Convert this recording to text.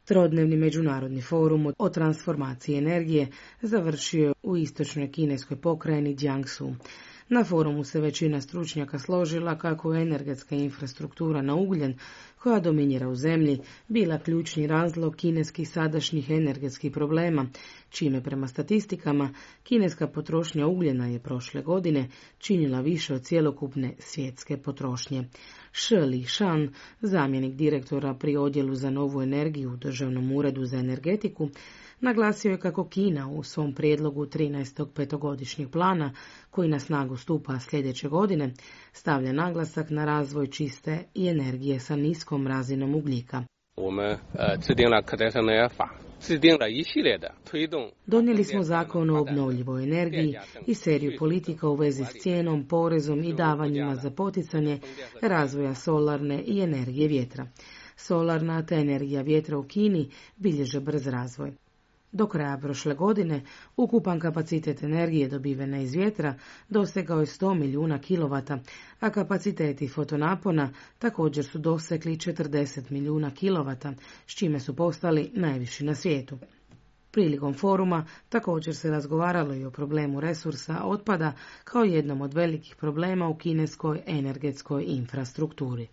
Trodnevni međunarodni forum o transformaciji energije završio je u istočnoj kineskoj pokrajini Jiangsu. Na forumu se većina stručnjaka složila kako je energetska infrastruktura na ugljen, koja dominira u zemlji, bila ključni razlog kineskih sadašnjih energetskih problema, čime prema statistikama kineska potrošnja ugljena je prošle godine činila više od cjelokupne svjetske potrošnje. Shi Lishan, zamjenik direktora pri odjelu za novu energiju u Državnom uredu za energetiku, naglasio je kako Kina u svom prijedlogu 13. petogodišnjeg plana, koji na snagu stupa sljedeće godine, stavlja naglasak na razvoj čiste i energije sa niskom razinom ugljika. Donijeli smo zakon o obnovljivoj energiji i seriju politika u vezi s cijenom, porezom i davanjima za poticanje razvoja solarne i energije vjetra. Solarna te energija vjetra u Kini bilježe brz razvoj. Do kraja prošle godine ukupan kapacitet energije dobivene iz vjetra dosegao je 100 milijuna kilovata, a kapaciteti fotonapona također su dosegli 40 milijuna kilovata, s čime su postali najviši na svijetu. Prilikom foruma također se razgovaralo i o problemu resursa otpada kao jednom od velikih problema u kineskoj energetskoj infrastrukturi.